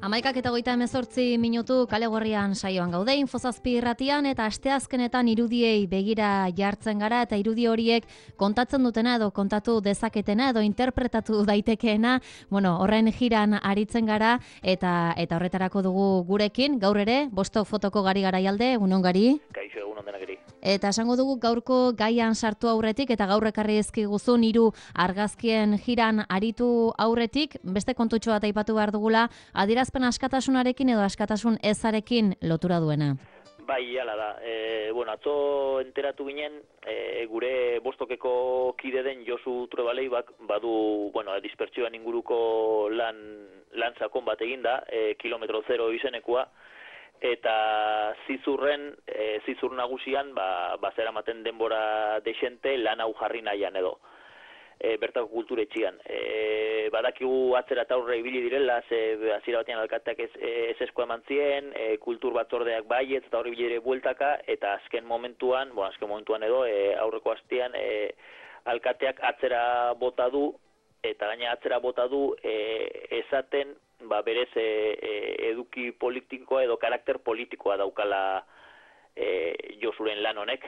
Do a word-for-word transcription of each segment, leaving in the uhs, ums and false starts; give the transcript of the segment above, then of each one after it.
Amaikak eta goita hemezortzi minutu kale gorrian saioan gaude, Infozazpi irratian eta asteazkenetan irudiei begira jartzen gara eta irudi horiek kontatzen dutena edo kontatu dezaketena edo interpretatu daitekeena, bueno, horren jiran aritzen gara eta eta horretarako dugu gurekin, gaur ere, Bostok fotoko Gari Garaialde, egunon Gari. Kaixo, egunon denakeri. Eta esango dugu gaurko gaian sartu aurretik eta gaur ekarri ezkiguzun hiru argazkien jiran aritu aurretik, beste kontutxo bat aipatu behar dugula, adierazpen askatasunarekin edo askatasun ezarekin lotura duena. Bai, hala da. E, bueno, atzo enteratu ginen, e, gure Bostokeko kide den Josu Truebalei bak, badu, bueno, dispertsioan inguruko lan, lan sakon bat eginda, e, kilometro zero izenekoa, eta zizurren, e, zizur nagusian, ba, bazera maten denbora desente lan hau jarri nahian edo. E, bertako kulturetxian. E, badakigu atzera eta aurre ibili direla, ze hasiera batean alkateak ez, ez esko eman zien, e, kultur batzordeak baietz eta horri bilire bueltaka, eta azken momentuan, bueno, azken momentuan edo, e, aurreko astean, e, alkateak atzera bota du, eta gaina atzera bota du, e, esaten, ba, berez e, e, eduki politikoa edo karakter politikoa daukala e, Josuren lan honek.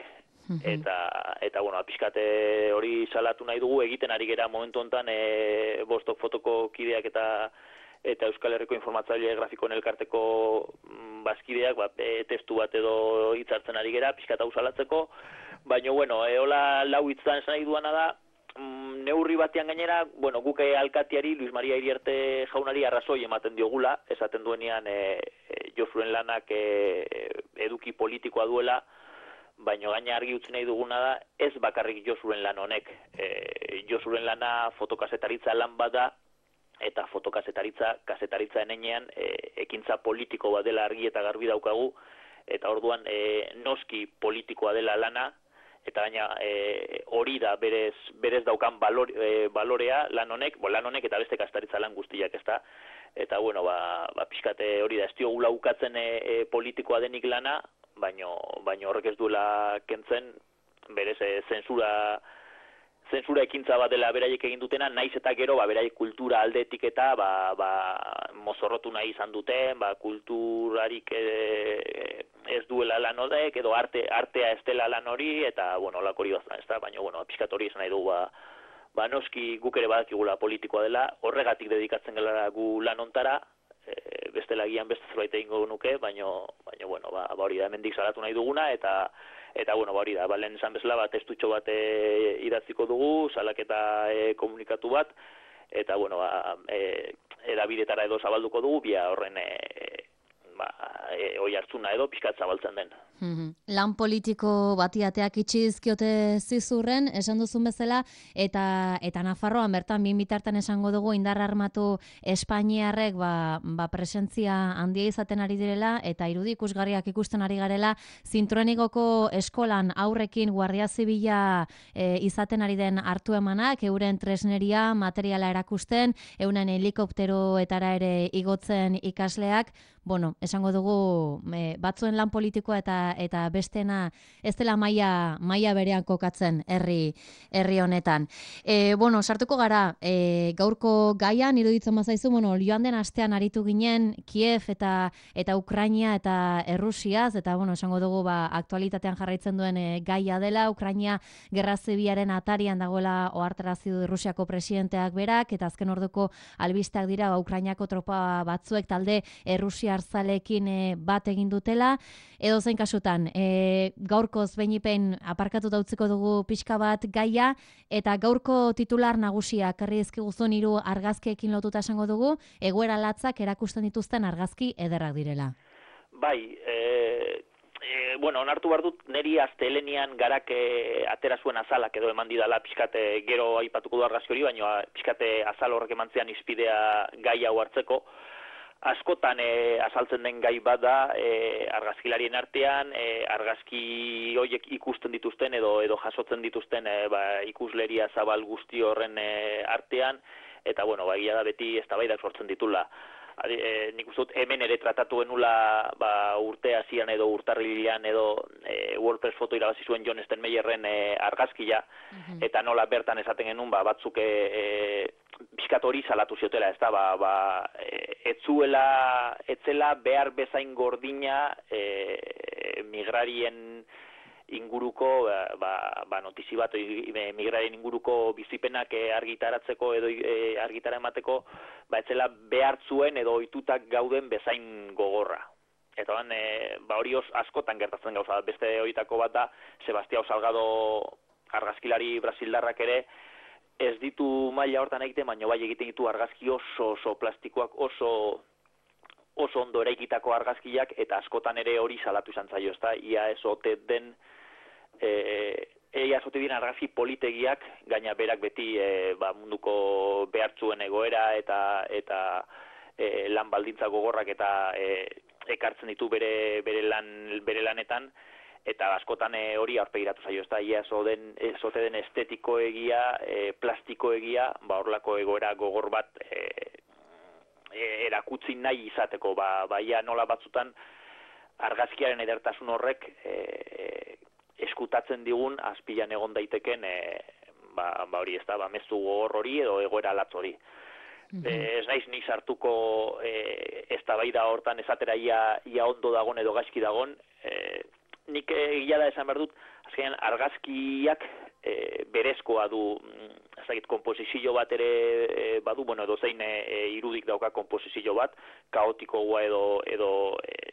Eta, eta bueno, pixkate hori salatu nahi dugu, egiten ari gera momentu honetan e, Bostok fotoko kideak eta eta Euskal Herriko Informatzaile Grafikoen Elkarteko bazkideak, ba, e, testu bat edo hitzartzen ari gera, pixkat hau salatzeko, baina, bueno, e, hola lau hitzan esan nahi duana da, mm, neurri batean gainera, bueno, guk alkatiari, Luis Maria Iriarte jaunari arrazoi ematen diogula, esaten duenean e, e, Josuren lanak e, eduki politikoa duela, baina gaina argi utzi nahi duguna da, ez bakarrik Josuren lan honek. E, Josuren lana fotokazetaritza lan bada, eta fotokazetaritza, kazetaritza enenean, e, ekintza politiko bat dela argi eta garbi daukagu, eta orduan e, noski politikoa dela lana, eta gaina e, hori da berez, berez daukan balor, e, balorea lan honek, bo, lan honek eta beste kazetaritza lan guztiak, ez da, eta bueno, ba, ba pixkate hori da, ez diogula ukatzen e, e, politikoa denik lana, baino baino horrek ez duela kentzen berez e, zensura zensura ekintza bat dela beraiek egin dutena, naiz eta gero ba beraiek kultura aldetik eta ba, ba mozorrotu nahi izan duten, ba kulturarik e, ez duela lan horrek edo arte artea ez dela lan hori eta bueno, holako hori bazan, ezta, baina bueno, pixkat hori esan nahi dugu ba ba noski guk ere badakigula politikoa dela, horregatik dedikatzen gara gu lan hontara. E, bestela gian beste zerbait egingo nuke, baino, baino bueno, ba, ba hori da, hemendik salatu nahi duguna, eta, eta bueno, ba hori da, ba, lehen esan bezala, ba, testutxo bat e, idatziko dugu, salaketa e, komunikatu bat, eta bueno, ba, e, edabidetara edo zabalduko dugu, bia horren e, ba, e, oi hartzuna edo pixkat zabaltzen den. Mm-hmm. Lan politiko bati ateak itxi dizkiote zizurren, esan duzun bezala, eta eta Nafarroan bertan bin bitartan esango dugu indar armatu Espainiarrek ba, ba presentzia handia izaten ari direla eta irudi ikusgarriak ikusten ari garela Zintruenigoko eskolan aurrekin Guardia Zibila e, izaten ari den hartu emanak, euren tresneria, materiala erakusten, euren helikopteroetara ere igotzen ikasleak, bueno, esango dugu e, batzuen lan politikoa eta eta bestena ez dela maila maila berean kokatzen herri herri honetan. E, bueno, sartuko gara e, gaurko gaian iruditzen bazaizu, bueno, joan den astean aritu ginen Kiev eta eta Ukraina eta Errusiaz eta bueno, esango dugu ba aktualitatean jarraitzen duen e, gaia dela, Ukraina gerra zibilaren atarian dagoela ohartarazi du Errusiako presidenteak berak eta azken orduko albisteak dira ba Ukrainako tropa batzuek talde errusiar zaleekin e, bat egin dutela. Edo zein kasutan, e, gaurkoz behinipen aparkatuta utziko dugu pixka bat gaia, eta gaurko titular nagusia karri ezkiguzun hiru argazkiekin lotuta esango dugu, egoera latzak erakusten dituzten argazki ederrak direla. Bai, e, e, bueno, onartu behar dut, neri astelenian garak e, atera zuen azalak edo eman didala pixkate gero aipatuko du argazki hori, baina pixkate azal horrek eman zean izpidea gai hau hartzeko. Askotan e, azaltzen den gai bada e, argazkilarien artean, e, argazki horiek ikusten dituzten edo edo jasotzen dituzten e, ba, ikusleria zabal guzti horren e, artean, eta bueno, ba, egia da beti eztabaidak sortzen ditula. E, nik uste dut hemen ere tratatu genula ba, urte hasian edo urtarrilean edo e, WordPress foto irabazi zuen John Steinmeyerren e, argazkia, mm-hmm. eta nola bertan esaten genuen ba, batzuk e, e, pixkat hori salatu ziotela, ez da, ba, ba, e, etzuela, etzela behar bezain gordina e, migrarien inguruko ba, ba, notizi bat migrarien inguruko bizipenak argitaratzeko edo e, argitara emateko ba etzela behar zuen edo ohitutak gauden bezain gogorra. Eta ban, e, ba hori os, askotan gertatzen gauza, beste horietako bat da Sebastião Salgado argazkilari brasildarrak ere ez ditu maila hortan egiten, baina bai egiten ditu argazki oso oso plastikoak, oso oso ondo eraikitako argazkiak, eta askotan ere hori salatu izan zaio, ezta, ia ez ote den eh Eia zote diren argazki politegiak, gaina berak beti e, ba, munduko behartzuen egoera eta eta e, lan baldintza gogorrak eta e, ekartzen ditu bere bere lan bere lanetan, eta askotan e, hori aurpegiratu zaio, ezta, ia zoden ezote den estetikoegia, e, plastikoegia, ba horlako egoera gogor bat e, e, erakutsi nahi izateko, ba baia nola batzutan argazkiaren edertasun horrek e, eskutatzen digun azpilan egon daiteken e, ba, ba hori ez da, ba, mezu gogor hori edo egoera latz hori. Mm-hmm. E, ez naiz ni sartuko e, eztabaida hortan esatera ia, ia ondo dagon edo gaizki dagon, e, nik egia da esan behar dut, azkenean argazkiak e, berezkoa du, ez dakit, komposizio bat ere e, badu, bueno, edo zein e, irudik dauka komposizio bat, kaotikoa edo edo e,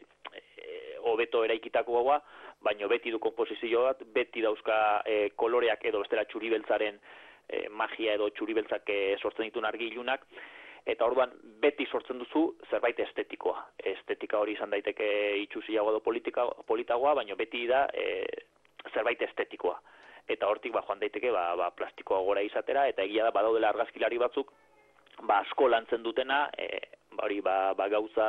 hobeto eraikitakoa, baino beti du komposizio bat, beti dauzka e, koloreak edo bestela txuribeltzaren e, magia edo txuribeltzak e, sortzen dituen argilunak, eta orduan beti sortzen duzu zerbait estetikoa. Estetika hori izan daiteke itxusiago edo politika, politagoa, baino beti da e, zerbait estetikoa. Eta hortik ba, joan daiteke ba, ba, plastikoa gora izatera, eta egia da badaudela argazkilari batzuk ba, asko lantzen dutena, e, ba, hori ba, ba, gauza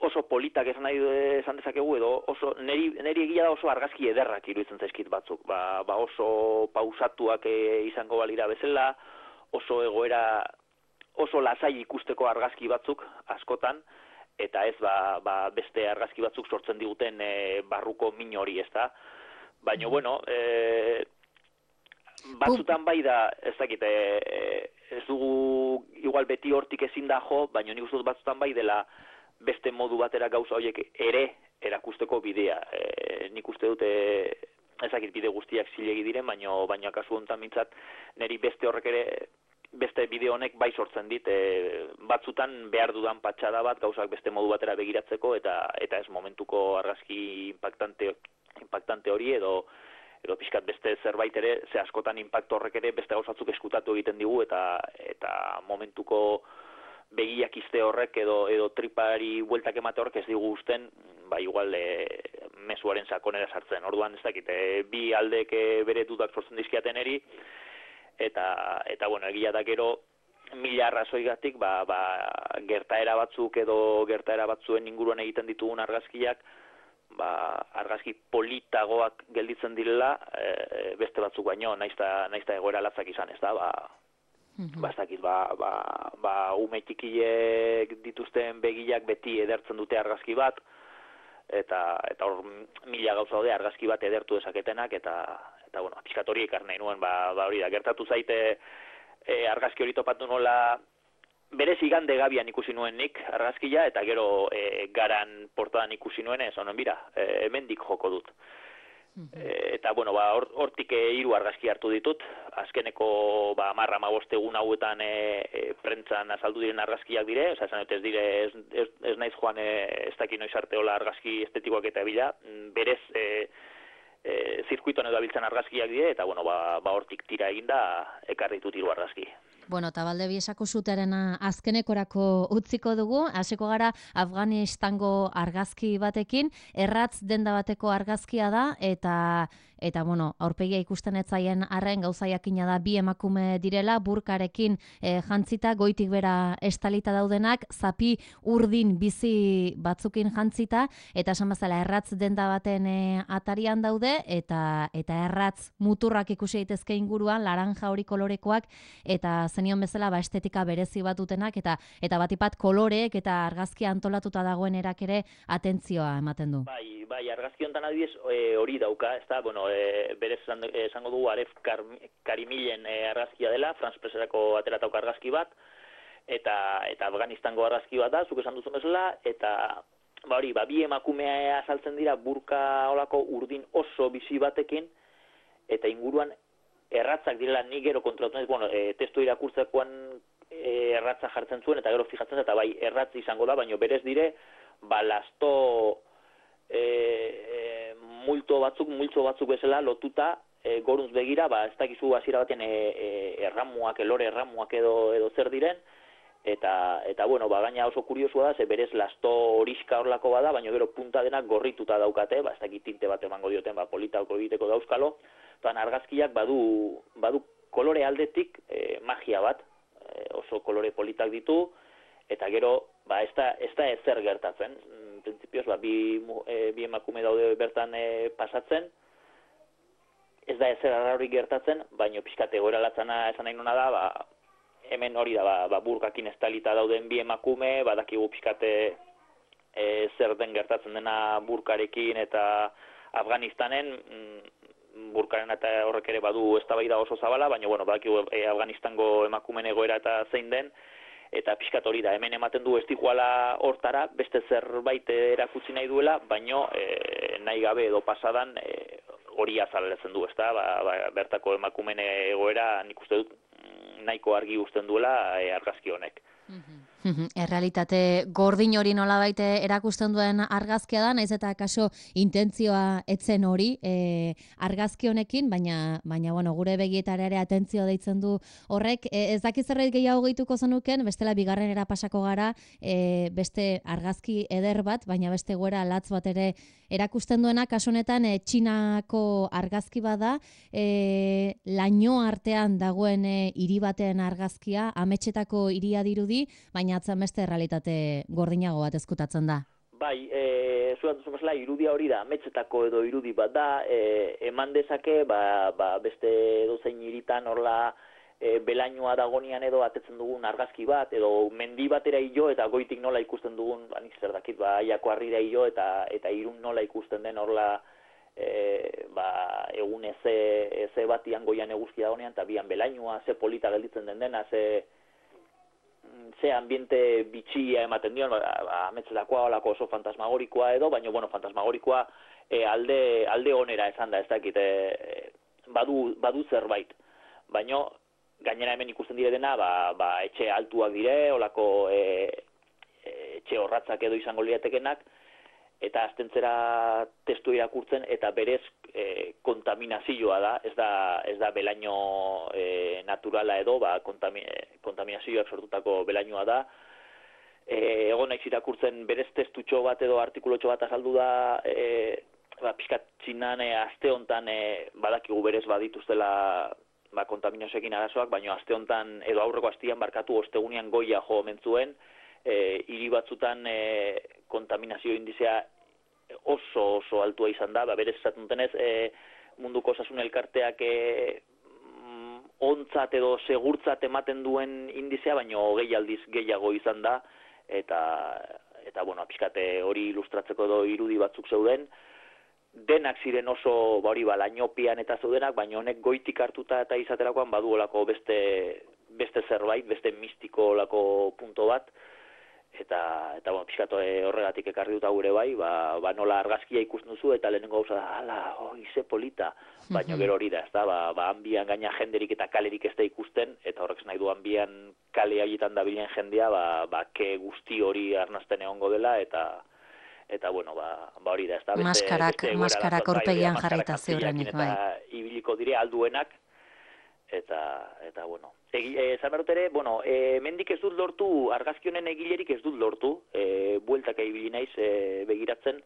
oso politak esan nahi esan dezakegu, edo oso neri, neri egia da oso argazki ederrak iruditzen zaizkit batzuk, ba, ba oso pausatuak e, izango balira bezala, oso egoera, oso lasai ikusteko argazki batzuk askotan, eta ez ba, ba beste argazki batzuk sortzen diguten e, barruko min hori, ez da? Baina, bueno, e, batzutan bai da, ez dakit, e, ez dugu igual beti hortik ezin da jo, baina nik uste dut batzutan bai dela beste modu batera gauza horiek ere erakusteko bidea. E, nik uste dute ezakit bide guztiak zilegi diren, baina baina kasu honetan mintzat niri beste horrek ere, beste bide honek bai sortzen dit, e, batzutan behar dudan patxada bat gauzak beste modu batera begiratzeko, eta eta ez momentuko argazki impactante, impactante hori edo edo pixkat beste zerbait ere, ze askotan impacto horrek ere beste gauzatzuk eskutatu egiten digu, eta eta momentuko begiak izte horrek edo edo tripari bueltak emate horrek ez digu uzten, ba igual e, mezuaren sakonera sartzen. Orduan ez dakit, e, bi aldek e, bere dudak sortzen dizkiaten eri, eta eta bueno, egia da gero mila arrazoigatik ba, ba, gertaera batzuk edo gertaera batzuen inguruan egiten ditugun argazkiak, ba, argazki politagoak gelditzen direla, e, beste batzuk baino, naizta naizta egoera latzak izan, ez da, ba ba, ez dakit, ba, ba, ba, ume txikiek dituzten begilak beti edertzen dute argazki bat, eta eta hor mila gauza daude argazki bat edertu dezaketenak, eta, eta bueno, pixkat hori ekar nahi nuen, ba, ba hori da, gertatu zaite e, argazki hori topatu nola, berez igande gabian ikusi nuen nik argazkia, eta gero e, garan portadan ikusi nuen, ez honen bira, e, hemendik joko dut. E, eta, bueno, ba, hortik or, hiru argazki hartu ditut, azkeneko ba, marra maboste egun hauetan e, e, prentzan azaldu diren argazkiak dire, oza, esan dut ez dire, ez, ez, ez naiz joan e, ez daki noiz arte hola argazki estetikoak eta bila, berez e, e, zirkuitoan edo abiltzen argazkiak dire, eta, bueno, ba, ba hortik tira eginda ekarri ditut hiru argazki. Bueno, eta balde biesako zuteren azkenekorako utziko dugu, hasiko gara Afganistango argazki batekin, erratz denda bateko argazkia da, eta eta bueno, aurpegia ikusten etzaien arren gauza jakina da bi emakume direla, burkarekin e, jantzita, goitik bera estalita daudenak, zapi urdin bizi batzukin jantzita, eta esan bezala erratz denda baten e, atarian daude, eta eta erratz muturrak ikusi daitezke inguruan, laranja hori kolorekoak, eta zenion bezala ba estetika berezi bat dutenak eta eta batipat koloreek eta argazkia antolatuta dagoen erak ere atentzioa ematen du. Bai, bai, argazki honetan adibidez hori e, dauka, ez da, bueno, e, berez esango dugu Aref Karimilen e, argazkia dela, Franz Presserako ateratauko argazki bat, eta eta Afganistango argazki bat da, zuk esan duzun bezala, eta ba hori, ba, bi emakumea azaltzen dira burka olako urdin oso bizi batekin, eta inguruan erratzak direla nik gero kontrolatu, bueno, e, testu irakurtzekoan e, erratza jartzen zuen, eta gero fijatzen, eta bai, erratz izango da, baina berez dire, ba, lasto e, e, multo batzuk, multzo batzuk bezala lotuta, e, goruntz begira, ba, ez dakizu hasiera baten e, e, erramuak, elore erramuak edo, edo zer diren, eta, eta bueno, ba, gaina oso kuriosua da, ze berez lasto horiska horlako bada, baina gero punta denak gorrituta daukate, ba, ez dakit tinte bat emango dioten, ba, politako egiteko dauzkalo, eta argazkiak badu, badu kolore aldetik e, magia bat, e, oso kolore politak ditu, eta gero, ba, ez da, ez da ezer gertatzen. Printzipioz, ba, bi, e, bi emakume daude bertan e, pasatzen, ez da ezer arrauri gertatzen, baina pixkate goera latzana esan nahi nuna da, ba, hemen hori da, ba, ba burkakin estalita dauden bi emakume, badakigu pixkate e, zer den gertatzen dena burkarekin eta Afganistanen, mm, burkaren eta horrek ere badu eztabaida oso zabala, baina bueno, badakigu e, Afganistango emakumeen egoera eta zein den, eta pixkat hori da, hemen ematen du ez diguala hortara, beste zerbait erakutsi nahi duela, baino e, nahi gabe edo pasadan e, hori azaletzen du, ezta? Ba, ba, bertako emakumeen egoera nik uste dut nahiko argi uzten duela e, argazki honek. Errealitate gordin hori nolabait erakusten duen argazkia da, naiz eta kaso intentzioa etzen hori e, argazki honekin, baina baina bueno, gure begietara ere atentzioa deitzen du horrek. E, ez dakiz zerbait gehiago gehituko zenuken, bestela bigarrenera pasako gara, e, beste argazki eder bat, baina beste goera latz bat ere erakusten duena, kaso honetan e, Txinako argazki bada, e, laino artean dagoen e, hiri baten argazkia, ametsetako hiria dirudi, baina atzen beste realitate gordinago bat ezkutatzen da. Bai, e, zuan duzu mesela, irudia hori da, ametsetako edo irudi bat da, e, eman dezake, ba, ba, beste dozein hiritan horla e, belainoa dagonian edo atetzen dugun argazki bat, edo mendi batera hilo eta goitik nola ikusten dugun, ba, nik zer dakit, ba, aiako harrira hilo eta, eta irun nola ikusten den horla e, ba, egun eze, eze batian goian eguzki dagonean, eta bian belainoa, ze polita gelditzen den dena, ze ze ambiente bitxia ematen dion, ba, ametzetakoa olako oso fantasmagorikoa edo, baina, bueno, fantasmagorikoa e, alde, alde onera esan da, ez dakit, e, badu, badu zerbait. Baina, gainera hemen ikusten dire dena, ba, ba, etxe altuak dire, olako e, e, etxe horratzak edo izango liatekenak, eta astentzera testu irakurtzen, eta berez e, kontaminazioa da, ez da, ez da belaino e, naturala edo, ba, kontami, kontaminazioak sortutako belainoa da. E, egon naiz irakurtzen berez testutxo bat edo artikulotxo bat azaldu da, e, ba, pixkat Txinan e, aste hontan e, badakigu berez badituztela ba, kontaminazioekin arazoak, baina aste hontan edo aurreko astian barkatu ostegunian goia jo omen zuen, e, hiri batzutan e, kontaminazio indizea oso oso altua izan da, ba, berez esaten denez, e, munduko osasun elkarteak e, ontzat edo segurtzat ematen duen indizea, baino gehi aldiz gehiago izan da, eta, eta bueno, pixkate hori ilustratzeko edo irudi batzuk zeuden, denak ziren oso ba hori ba, lainopian eta zeudenak, baina honek goitik hartuta eta izaterakoan baduolako beste, beste zerbait, beste mistiko olako punto bat, eta eta bueno, pixkat horregatik ekarri dut gure bai, ba, ba nola argazkia ikusten duzu eta lehenengo gauza da, ala, oi, ze polita, baina gero hori da, ez da, ba, ba hanbian gaina jenderik eta kalerik ez da ikusten, eta horrek nahi du hanbian kale haietan dabilen jendea, ba, ba ke guzti hori arnazten egongo dela, eta eta bueno, ba, ba hori da, ez da, beste, maskarak, beste maskarak aurpegian jarrita ziurrenik, bai. Eta ibiliko dire alduenak, eta, eta bueno, esan berot ere, bueno, e, mendik ez dut lortu, argazki honen egilerik ez dut lortu, e, bueltak ibili naiz e, begiratzen,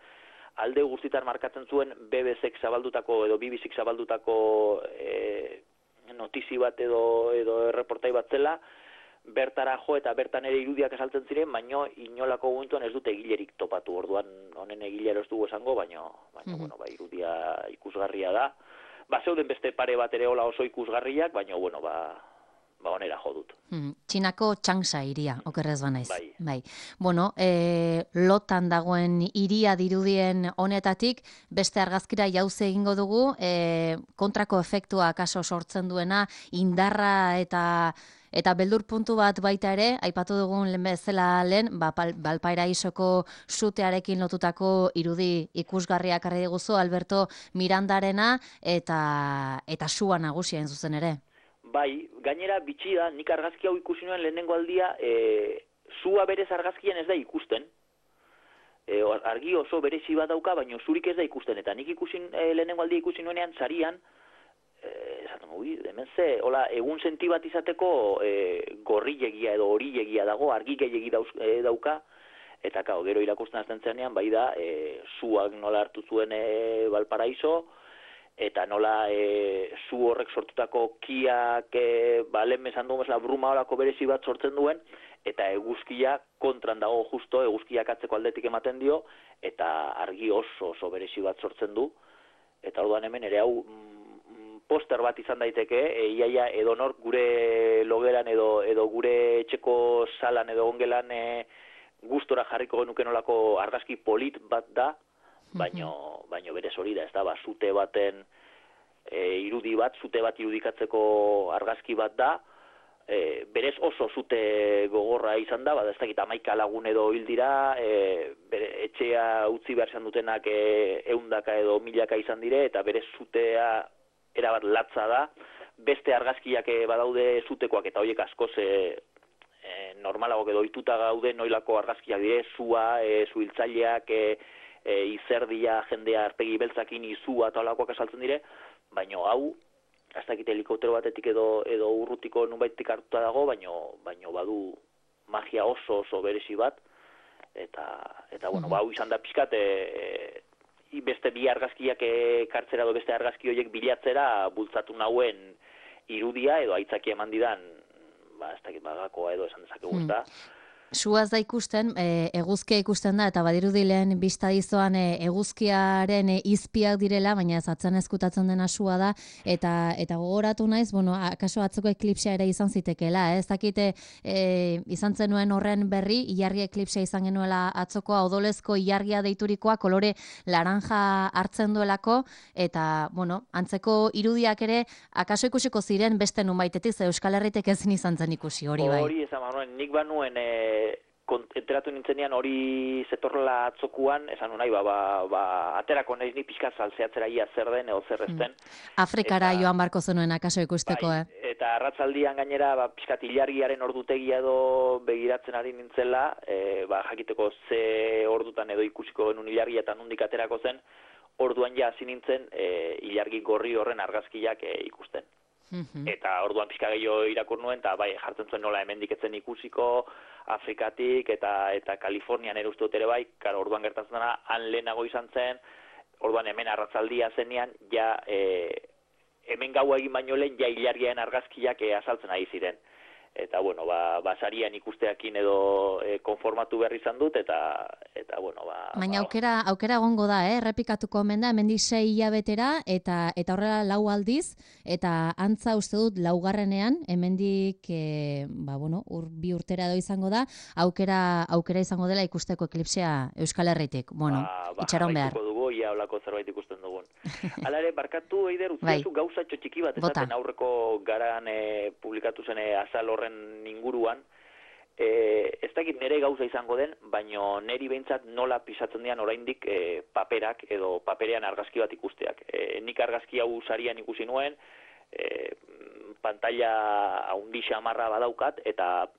alde guztitan markatzen zuen B B Zik zabaldutako edo B B Zik zabaldutako e, notizi bat edo, edo erreportai bat zela, bertara jo eta bertan ere irudiak esaltzen ziren, baino inolako momentuan ez dute egilerik topatu, orduan honen egilero ez dugu esango, baino, baino mm-hmm. bueno, ba, irudia ikusgarria da. Ba, zeuden beste pare bat ere hola oso ikusgarriak, baina, bueno, ba, ba onera jo dut. Txinako Changsha hiria, okerrez banaiz. Bai. Bai. Bueno, e, lotan dagoen hiria dirudien honetatik, beste argazkira jauze egingo dugu, e, kontrako efektua kaso sortzen duena, indarra eta eta beldur puntu bat baita ere, aipatu dugun lehen bezala lehen, ba, Valparaisoko sutearekin lotutako irudi ikusgarriak arri diguzu, Alberto Mirandarena, eta, eta sua nagusia hain zuzen ere. Bai, gainera bitxi da, nik argazki hau ikusi nuen lehenengo aldia, e, zua berez argazkian ez da ikusten. E, argi oso berezi bat dauka, baina zurik ez da ikusten. Eta nik ikusin, e, lehenengo aldia ikusi nuenean, sarian, e, esaten, ui, hemen ze, hola, egun senti bat izateko e, gorrilegia edo horilegia dago, argi gehiegi dauz, e, dauka, eta kao, gero irakusten azten zenean, bai da, e, zuak nola hartu zuen e, Valparaiso, eta nola e, zu horrek sortutako kiak, e, ba, lehen mesan dugu mesela bruma horako berezi bat sortzen duen, eta eguzkia kontran dago justo, eguzkiak atzeko aldetik ematen dio, eta argi oso oso berezi bat sortzen du, eta orduan hemen ere hau mm, poster bat izan daiteke, e, iaia edonor gure logelan edo, edo gure etxeko salan edo ongelan e, gustora jarriko genuke nolako argazki polit bat da, baino, baino berez hori da, ez da, ba, zute baten e, irudi bat, zute bat irudikatzeko argazki bat da, e, berez oso zute gogorra izan da, ba, ez dakit amaika lagun edo hil dira, e, bere, etxea utzi behar izan dutenak e, eundaka edo milaka izan dire, eta berez zutea erabat latza da, beste argazkiak e, badaude zutekoak, eta horiek askoz e, e, normalago edo ohituta gaude noilako argazkiak dire, zua, e, zuhiltzaileak, e, E, izerdia, jendea arpegi beltzakin izua eta olakoak esaltzen dire, baino hau, ez dakit helikoptero batetik edo, edo urrutiko nunbaitik hartuta dago, baino, baino badu magia oso oso berezi bat, eta, eta bueno, ba, hau izan da pixkat, e, e, beste bi argazkiak ekartzera edo beste argazki horiek bilatzera bultzatu nauen irudia edo aitzakia eman didan, ba, ez dakit bagakoa edo esan dezakegu ez da. Suaz da ikusten, e, eguzkia ikusten da, eta badirudi lehen bista dizoan e, eguzkiaren e, izpiak direla, baina ez atzen ezkutatzen dena sua da, eta eta gogoratu naiz, bueno, akaso atzoko eklipsia ere izan zitekeela, eh? Ez dakite e, izan zenuen horren berri, ilargi eklipsia izan genuela atzokoa, odolezko ilargia deiturikoa, kolore laranja hartzen duelako, eta, bueno, antzeko irudiak ere, akaso ikusiko ziren beste nunbaitetik, ze Euskal Herritek ezin izan zen ikusi, hori bai. Hori esan manuen, nik banuen e, enteratu nintzenean hori zetorrela atzokuan, esan nahi, ba, ba, ba, aterako nahiz ni pixka saltzeatzera ia zer den edo zer ezten. Afrikara eta, joan barko zenuen akaso ikusteko, bai, eh? Eta arratzaldian gainera, ba, pixkat ilargiaren ordutegia edo begiratzen ari nintzela, e, ba, jakiteko ze ordutan edo ikusiko genuen ilargia eta nondik aterako zen, orduan ja hasi nintzen e, ilargi gorri horren argazkiak e, ikusten. Eta orduan pixka gehiago irakur nuen, eta bai, jartzen zuen nola hemendik etzen ikusiko, Afrikatik eta eta Kalifornian ere uste dut ere bai, karo, orduan gertatzen dena, han lehenago izan zen, orduan hemen arratzaldia zenean, ja, e, hemen gaua egin baino lehen, ja ilargiaren argazkiak e, azaltzen ari ziren. Eta, bueno, ba, basarian ikusteakin edo e, konformatu behar izan dut, eta, eta bueno, ba... Baina ba, aukera, aukera egongo da, eh? Errepikatuko omen da, hemendik sei hilabetera, eta, eta horrela lau aldiz, eta antza uste dut laugarrenean, hemendik, e, ba, bueno, ur, bi urtera edo izango da, aukera, aukera izango dela ikusteko eklipsia Euskal Herritik. Bueno, ba, ba, itxaron behar. Dugu, ia holako zerbait ikusten dugun. Hala ere, barkatu, Eider, bai. utziazu gauza txotxiki bat, esaten aurreko garan e, publikatu zen e, azal horren inguruan, e, ez dakit nire gauza izango den, baino niri behintzat nola pisatzen dian oraindik e, paperak edo paperean argazki bat ikusteak. E, nik argazki hau sarian ikusi nuen, e, pantalla haundi xamarra badaukat, eta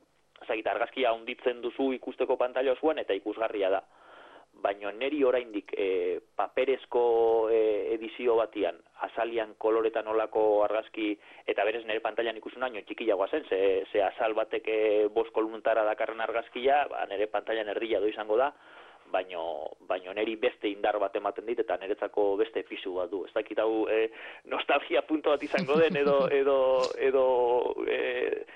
ezagit, argazkia haunditzen duzu ikusteko pantalla osoan, eta ikusgarria da. Baina neri oraindik e, paperezko e, edizio batian, azalian koloretan olako argazki, eta berez nire pantailan ikusun haino txikiagoa zen, ze, ze azal batek e, bost koluntara dakarren argazkia, ba, nire pantailan erdila do izango da, baino, baino neri beste indar bat ematen dit, eta niretzako beste fisu bat du. Ez dakit hau e, nostalgia punto bat izango den, edo, edo, edo e,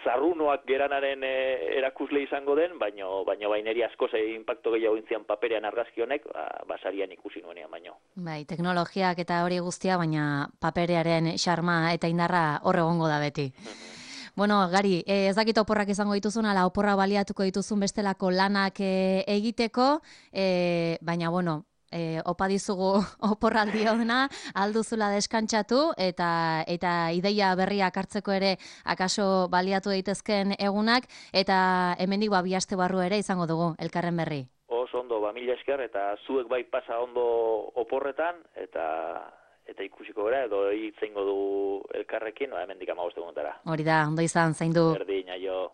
zarrunoak geranaren e, erakusle izango den, baino, baino baineri asko ze impacto gehiago intzian paperean argazki honek, ba, basarian ikusi nuenean baino. Bai, teknologiak eta hori guztia, baina paperearen xarma eta indarra hor egongo da beti. Bueno, Gari, eh, ez dakit oporrak izango dituzun, ala oporra baliatuko dituzun bestelako lanak eh, egiteko, eh, baina, bueno, eh, opa dizugu oporraldi ona, alduzula deskantsatu, eta eta ideia berriak hartzeko ere akaso baliatu daitezken egunak, eta hemendik ba, bi aste barru ere izango dugu, elkarren berri. Oso ondo, ba, mila esker, eta zuek bai pasa ondo oporretan, eta eta ikusiko gara, edo hitzeingo du elkarrekin, no, hemendik hamabost egunetara. Hori da, ondo izan, zaindu. Berdin, aio.